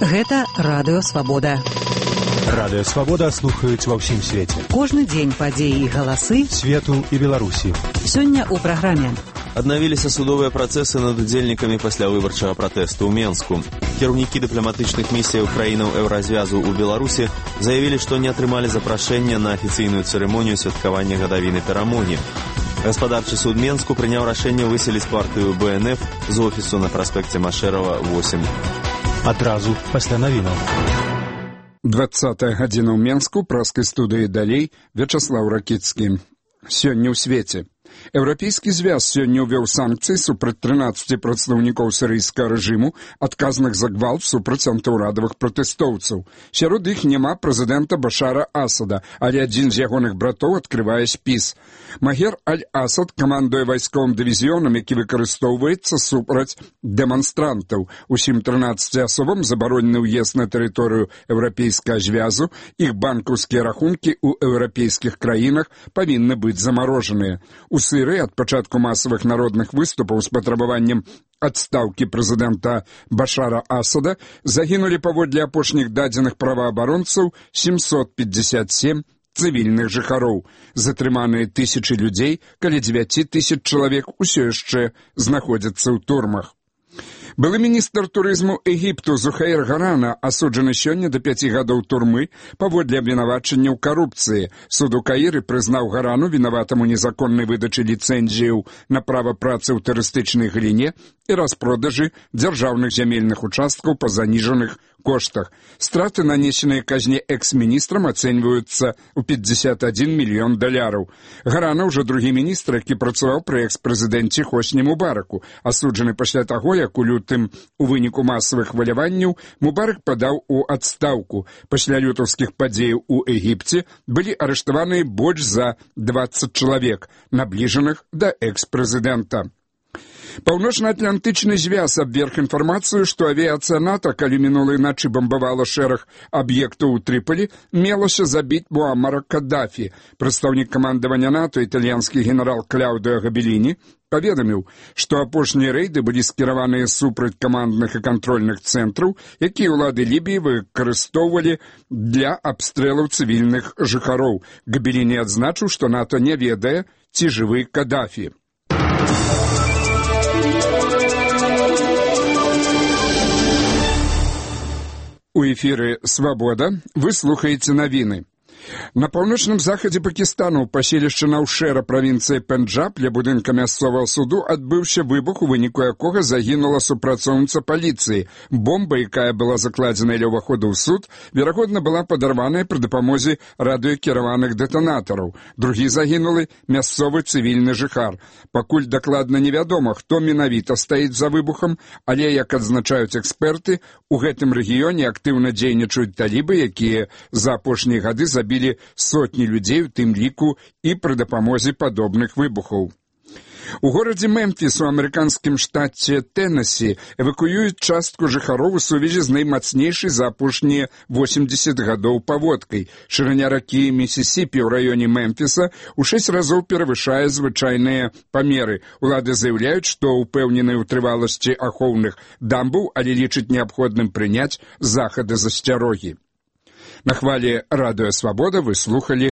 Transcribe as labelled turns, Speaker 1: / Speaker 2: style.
Speaker 1: Гэта Радыё Свабода.
Speaker 2: Радыё Свабода слухаюць ва ўсім свеце.
Speaker 1: Кожны дзень падзеі і галасы
Speaker 2: свету і Беларусі.
Speaker 1: Сёння ў праграме.
Speaker 3: Аднавіліся судовыя працэсы над удзельнікамі паслявыбарчага пратэсту ў Менску. Кіраўнікі дыпламатычных місіяў краінаў Еўразвязу ў Беларусі заявілі, што не атрымалі запрашэння на афіцыйную цырымонію святкавання гадавіны перамогі. Гаспадарчы суд Менску прыняў рашэнне выселіць партыю БНФ з офісу на праспекце Машэрава, 8.
Speaker 2: Адразу пасля навінаў.
Speaker 4: 20-я гадзіна ў Менску, праскай студыі далей, Вячаслаў Ракіцкі. Сёння ў свеце. Еўрапейскі звяз сёння ўвёў санкцыі супраць 13 прадстаўнікоў сірыйскага рэжыму, адказных за гвалт супраць антыўрадавых пратэстоўцаў. Сярод іх няма прэзідэнта Башара Асада, але адзін з ягоных братоў адкрывае спіс. Магер Аль-Асад камандуе вайсковым дывізіёнам, які выкарыстоўваецца супраць дэманстрантаў. Усім 13 асобам забаронены ўезд на тэрыторыю Еўрапейскага звязу, іх банкаўскія рахункі ў еўрапейскіх краінах павінны быць замарожаныя. У Сірыі ад пачатку масавых народных выступаў з патрабаваннем адстаўкі прэзідэнта Башара Асада загінулі паводле апошніх дадзеных праваабаронцаў 757 цывільных жыхароў. Затрыманыя тысячы людзей, каля 9 тысяч чалавек усё яшчэ знаходзяцца ў турмах. Былы міністр турызму Егіпту Зухаир Гарана асуджаны сёння да 5 гадоў турмы паводле абвінавачання ў карупцыі. Суд у Каіры прызнаў Гарану вінаватым у незаконнай выдачы ліцэнзіяў на права працы ў турыстычнай галіне і распродажы дзяржаўных зямельных участкаў па заніжаных коштах. Страты, нанесеныя казне экс-міністрам, ацэньваюцца ў $51 мільён. Гарана ўжо другі міністр, які працаваў пры экс-прэзідэнце Хосні Мубараку, асуджаны пасля таго, як у лютым у выніку масавых хваляванняў Мубарак падаў у адстаўку. Пасля лютаўскіх падзеяў у Егіпце былі арыштаваныя больш за 20 чалавек, набліжаных да экс-прэзідэнта. Паўночна-атлантычны звяз абверг інфармацыю, што авіяцыя НАТО, калі минулай ночы бомбавала шэраг аб'ектаў у Трыполі, мелася забіць Муаммара Каддафі. Прадстаўнік камандавання НАТО, італьянскі генерал Кляудыо Габеліні, паведаміў, што апошнія рэйды былі скіраваныя супраць камандных і кантрольных цэнтраў, якія ўлады Лібіі выкарыстоўвалі для абстрэлаў цывільных жыхароў. Габеліні адзначыў, што НАТО не ведае, ці жывы Каддафі. У эфіры «Свабода» вы слухаеце навіны. На паўночным захадзе Пакістану ў паселішчы Наўшэра, правінцыі Пенджаб, ля будынка мясцовага суду адбыўся выбух, у выніку якога загінула супрацоўніца паліцыі. Бомба, якая была закладзена ля ўваходу ў суд, верагодна была падарваная пры дапамозе радыёкіраваных дэтанатараў. Другі загінулы мясцовы цывільны жыхар. Пакуль дакладна невядома, хто менавіта стаіць за выбухам, але, як адзначаюць эксперты, у гэтым рэгіёне актыўна дзейнічаюць талібы, якія за апошнія гады забілі сотні людзей, у тым ліку і пры дапамозе падобных выбухаў. У горадзе Мемфіс у амерыканскім штаце Тэннесі эвакуююць частку жыхароў у сувязі з наймацнейшай за апошнія 80 гадоў паводкай. Шырыня ракі Місісіпі ў раёне Мемфіса у 6 разоў перавышае звычайныя памеры. Улады заяўляюць, што ўпэўненыя ў трываласці ахоўных дамбаў, але лічаць неабходным прыняць захады засцярогі. На хвалі Радыё Свабода вы слухалі